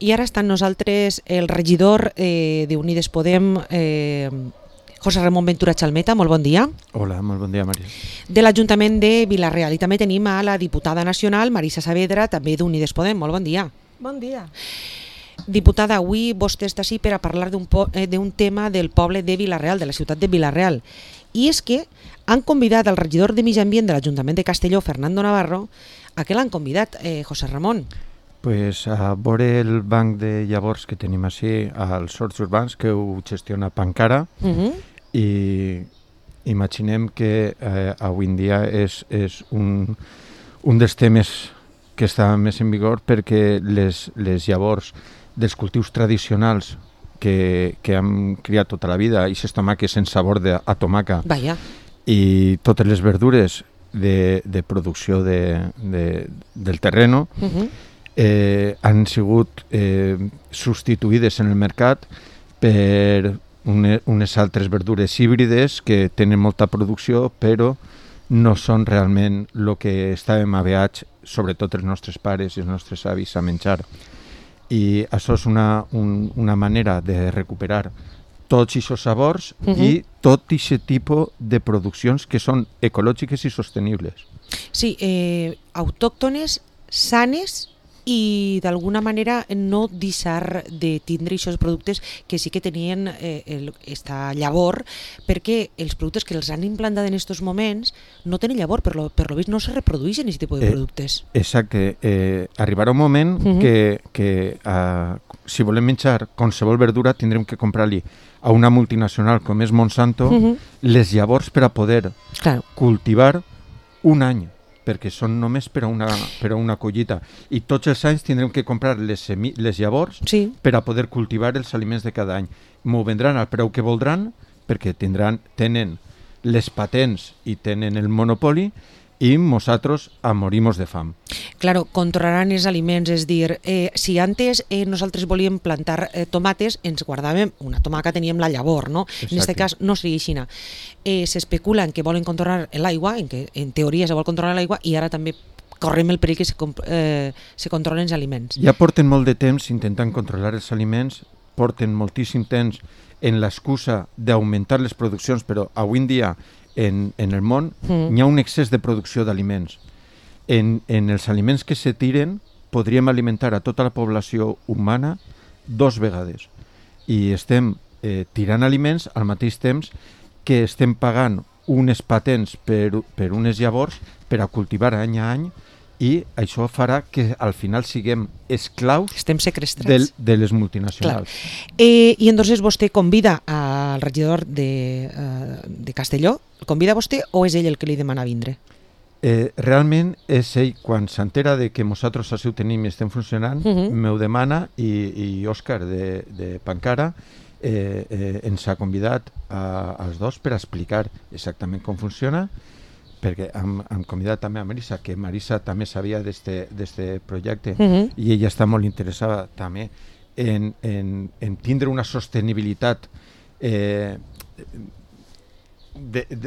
I ara està amb nosaltres el regidor d'Unides Podem, José Ramón Ventura Chalmeta. Molt bon dia. Hola, molt bon dia, Maria. De l'Ajuntament de Vila-real. I també tenim a la diputada nacional, Marisa Saavedra, també d'Unides Podem. Molt bon dia. Bon dia. Diputada, avui vostè està així per a parlar d'un tema del poble de Vila-real, de la ciutat de Vila-real. I és que han convidat al regidor de Medi Ambient de l'Ajuntament de Castelló, Fernando Navarro. A què l'han convidat, José Ramón? Pues a veure el banc de llavors que tenim així als horts urbans, que ho gestiona Pancara, i imaginem que avui en dia és un dels temes que està més en vigor, perquè les llavors dels cultius tradicionals que hem criat tota la vida, i aquestes tomàquets sense sabor a tomaca, i totes les verdures de producció del terreno, han sigut substituïdes en el mercat per unes altres verdures híbrides que tenen molta producció, però no són realment el que estàvem aveats, sobretot els nostres pares i els nostres avis, a menjar. I això és una manera de recuperar tots aquests sabors i tot aquest tipus de produccions que són ecològiques i sostenibles. Sí, autòctones, sanes, i d'alguna manera no deixar de tindre aquests productes que sí que tenien esta llavor, perquè els productes que els han implantat en aquests moments no tenen llavor, per lo vist no se reprodueixen aquest tipus de productes. Exacte. Arribarà un moment que si volem menjar qualsevol verdura tindrem que comprar-li a una multinacional com és Monsanto les llavors per a poder cultivar un any, perquè són només per a una collita, i tots els anys tindrem que comprar les llavors per a poder cultivar els aliments de cada any. M'ho vendran al preu que voldran, perquè tenen les patents i tenen el monopoli, i nosaltres morimos de fam. Claro, controlaran els aliments, és dir, si antes nosaltres volíem plantar tomates, ens guardàvem una tomaca, teníem la llavor, no? En aquest cas no seria així. S'especula en que volen controlar l'aigua, en que en teoria se vol controlar l'aigua, i ara també correm el perill que se controlen els aliments. Ja porten molt de temps intentant controlar els aliments, porten moltíssim temps en l'excusa d'augmentar les produccions, però avui en dia en el món hi ha un excés de producció d'aliments. En els aliments que se tiren podríem alimentar a tota la població humana 2 vegades, i estem tirant aliments al mateix temps que estem pagant unes patents per unes llavors per a cultivar any a any, i això farà que al final siguem esclaus de les multinacionals. I entonces vostè convida al regidor de Castelló, el convida vostè o és ell el que li demana vindre? Realment és ell, quan s'entera de que nosaltres així ho tenim i estem funcionant, m'ho demana, i Òscar de Pancara ens ha convidat als dos per explicar exactament com funciona, perquè hem convidat també a Marisa, que Marisa també sabia d'aquest projecte, i ella està molt interessada també en tindre una sostenibilitat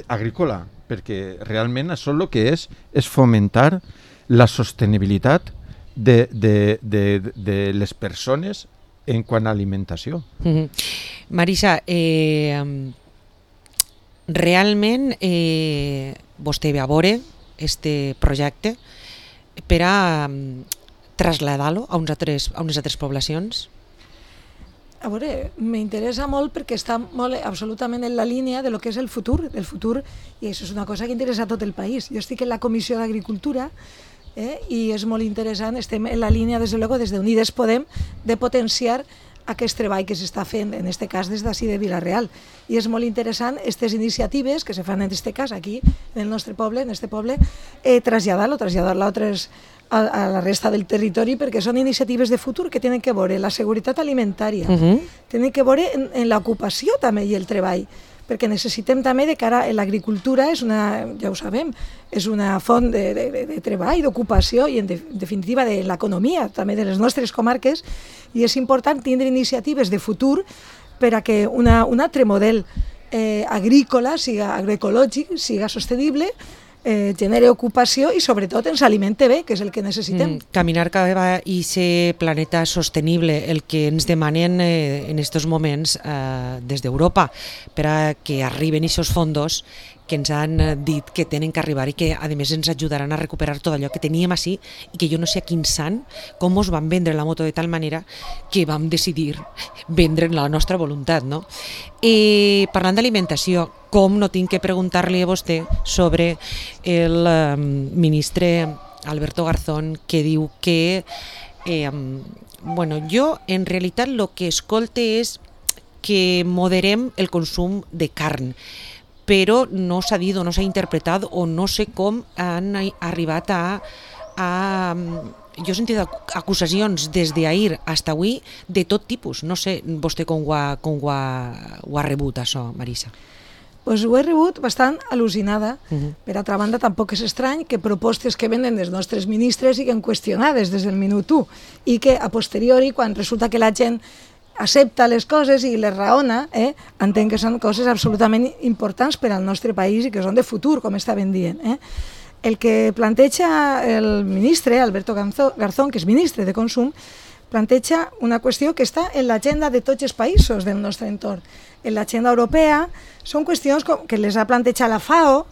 agrícola, perquè realment això el que és fomentar la sostenibilitat de les persones en quant a alimentació. Marisa, realment vostè ve a veure aquest projecte per a traslladar-lo a unes altres poblacions? A veure, m'interessa molt perquè està molt absolutament en la línia de lo que és el futur, i això és una cosa que interessa a tot el país. Jo estic en la Comissió d'Agricultura i és molt interessant, estem en la línia, des de Unides Podem, de potenciar aquest treball que s'està fent, en aquest cas des d'ací de Vila-real. I és molt interessant aquestes iniciatives que se fan en aquest cas aquí, en el nostre poble, traslladar-lo a la resta del territori, perquè són iniciatives de futur que tenen que veure la seguretat alimentària, tenen que veure en l'ocupació també i el treball, perquè necessitem també de cara a l'agricultura, ja ho sabem, és una font de treball, d'ocupació i en definitiva de l'economia també de les nostres comarques, i és important tindre iniciatives de futur per a que un altre model agrícola, siga agroecològic, siga sostenible, genere ocupació i sobretot ens alimente bé, que és el que necessitem. Caminar cap a aquest planeta sostenible, el que ens demanen en aquests moments des d'Europa per a que arriben aquests fons que ens han dit que tenen que arribar i que a més ens ajudaran a recuperar tot allò que teníem així i que jo no sé a quin sant com ens van vendre la moto de tal manera que vam decidir vendre la nostra voluntat, no? Parlant d'alimentació, com no tinc que preguntar-li a vostè sobre el ministre Alberto Garzón, que diu que jo en realitat el que escolte és que moderem el consum de carn, però no s'ha dit o no s'ha interpretat o no sé com han arribat jo he sentit acusacions des d'ahir fins avui de tot tipus. No sé vostè com ho ha rebut això, Marisa. Pues ho he rebut bastant al·lucinada. Per altra banda, tampoc és estrany que propostes que venen dels nostres ministres siguin qüestionades des del minut 1 i que a posteriori, quan resulta que la gent accepta les coses i les raona, entenc que són coses absolutament importants per al nostre país i que són de futur, com estaven dient. El que planteja el ministre, Alberto Garzón, que és ministre de Consum, planteja una qüestió que està en l'agenda de tots els països del nostre entorn. En l'agenda europea són qüestions que les ha plantejat la FAO,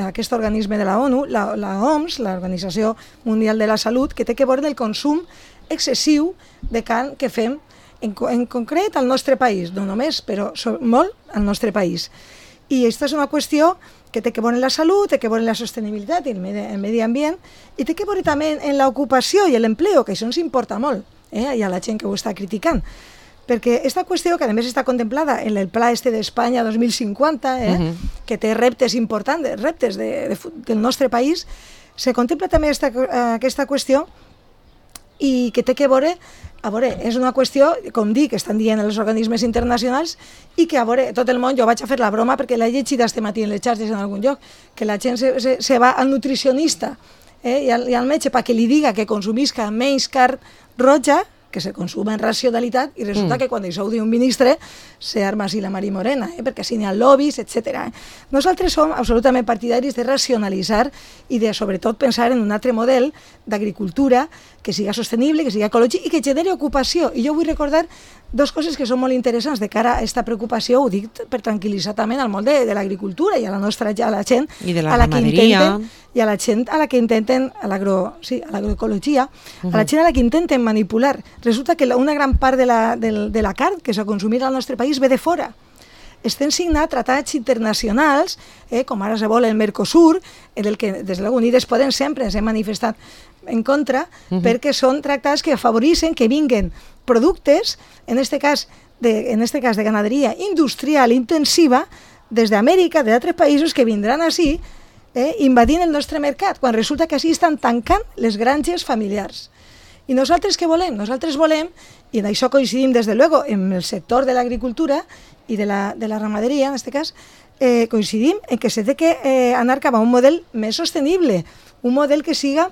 aquest organisme de la ONU, la OMS, l'Organització Mundial de la Salut, que té que veure el consum excessiu de carn que fem en concret al nostre país, no només, però molt al nostre país. I aquesta és una qüestió que té que veure en la salut, té que veure en la sostenibilitat i el medi ambient, i té que veure també en l'ocupació i l'empleo, que això ens importa molt, hi ha la gent que ho està criticant. Perquè aquesta qüestió, que a més està contemplada en el Pla d'Espanya 2050, que té reptes importants, reptes del nostre país, se contempla també aquesta qüestió i que té que veure, és una qüestió, com dic, que estan dient els organismes internacionals i que, tot el món, jo vaig a fer la broma perquè l'he llegit este matí en les xarxes en algun lloc, que la gent se va al nutricionista i al metge perquè li diga que consumisca menys carn roja, que se consuma en racionalitat, i resulta que quan això ho diu un ministre se arma així la Mari Morena, perquè així n'hi ha lobbies, etc. Nosaltres som absolutament partidaris de racionalitzar i de, sobretot, pensar en un altre model d'agricultura que siga sostenible, que siga ecològic i que generi ocupació. I jo vull recordar dues coses que són molt interessants de cara a aquesta preocupació, ho dic per tranquil·litzar també al món de l'agricultura i a la gent i de la ramaderia i a la gent a la que intenten, a l'agroecologia, a la gent a la que intenten manipular. Resulta que una gran part de la carn que s'ha consumit al nostre país ve de fora. Estem signant tractats internacionals, com ara se vol el Mercosur, del que des de l'Unides Podem sempre ens hem manifestat en contra, perquè són tractats que afavoreixen que vinguen productes, en este cas de ganaderia industrial intensiva, des d'Amèrica, d'altres països que vindran així, invadint el nostre mercat, quan resulta que així estan tancant les granges familiars. I nosaltres què volem? Nosaltres volem, i en això coincidim des de luego en el sector de l'agricultura i de la ramaderia, en aquest cas, coincidim en que s'ha d'anar cap a un model més sostenible, un model que siga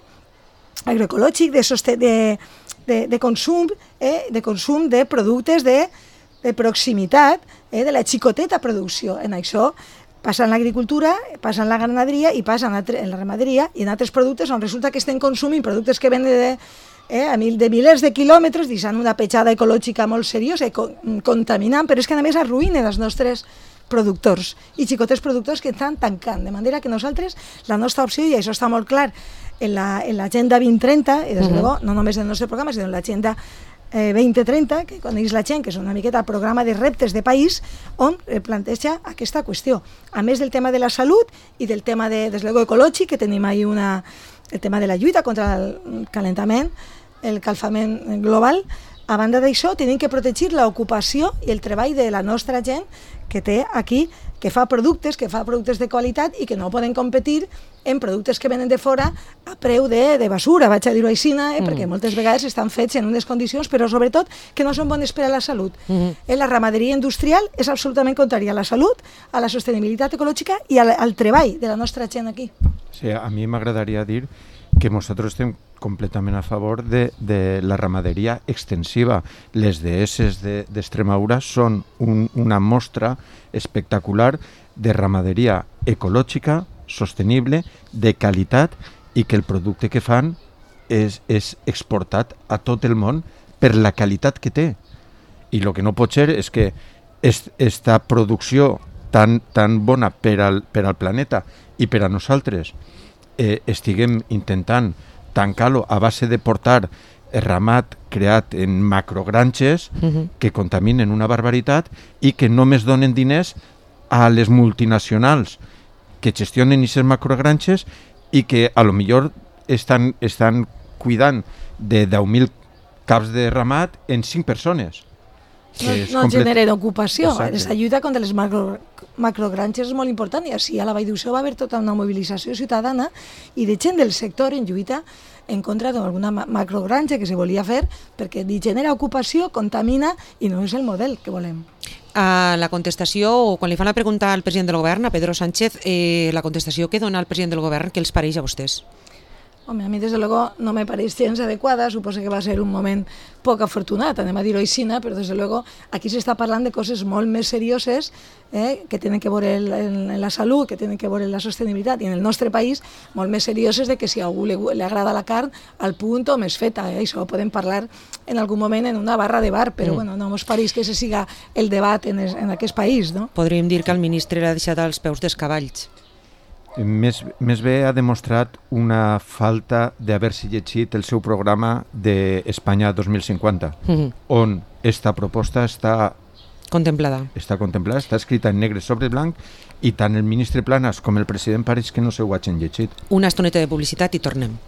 agroecològic, de consum de productes de proximitat, de la xicoteta producció. En això passa en l'agricultura, passa en la ganaderia i passa en la ramaderia i en altres productes on resulta que estem consumint productes que venen de milers de quilòmetres, deixant una petjada ecològica molt seriosa i contaminant, però és que a més arruïnen els nostres productors i xicotets productors que estan tancant, de manera que nosaltres, la nostra opció, i això està molt clar en l'agenda 2030, i des de luego, no només en el nostre programa, sinó en l'agenda 2030, que coneix la gent, que és una miqueta el programa de reptes de país, on planteja aquesta qüestió. A més del tema de la salut i del tema des de luego ecològic, que tenim ahí el tema de la lluita contra el calentament, el calfament global. A banda d'això, tenim que protegir l'ocupació i el treball de la nostra gent que té aquí, que fa productes de qualitat i que no poden competir en productes que venen de fora a preu de basura, vaig a dir-ho així, perquè moltes vegades estan fets en unes condicions, però sobretot que no són bones per a la salut. La ramaderia industrial és absolutament contrària a la salut, a la sostenibilitat ecològica i al treball de la nostra gent aquí. Sí, a mi m'agradaria dir que nosaltres estem completament a favor de la ramaderia extensiva. Les dehesses d'Extremadura són una mostra espectacular de ramaderia ecològica, sostenible, de qualitat, i que el producte que fan és exportat a tot el món per la qualitat que té. I el que no pot ser és que esta producció tan bona per al planeta i per a nosaltres estiguem intentant tancar-lo a base de portar ramat creat en macrogranges que contaminen una barbaritat i que només donen diners a les multinacionals que gestionen aquestes macrogranges i que a lo millor estan cuidant de 10.000 caps de ramat en 5 persones. No generen ocupació. La lluita contra les macrogranges és molt important i així a la Vall d'Uixó va haver tota una mobilització ciutadana i de gent del sector en lluita en contra d'alguna macrogranja que se volia fer perquè genera ocupació, contamina i no és el model que volem. A la contestació, o quan li fan la pregunta al president del govern, a Pedro Sánchez, la contestació que dona el president del govern, què els pareix a vostès? Home, a mi, desde luego, no me pareix gens adequada, suposo que va ser un moment poc afortunat, anem a dir-ho així, però desde luego aquí s'està parlant de coses molt més serioses que tenen que veure en la salut, que tenen que veure en la sostenibilitat, i en el nostre país molt més serioses de que si a algú li agrada la carn al punt o més feta, això ho podem parlar en algun moment en una barra de bar, però bueno, no mos pareix que se siga el debat en aquest país, no? Podríem dir que el ministre l'ha deixat als peus dels cavalls. Més bé ha demostrat una falta d'haver-se llegit el seu programa d'Espanya 2050, on esta proposta està contemplada, està escrita en negre sobre blanc, i tant el ministre Planas com el president pareix que no s'ho hagin llegit. Una estoneta de publicitat i tornem.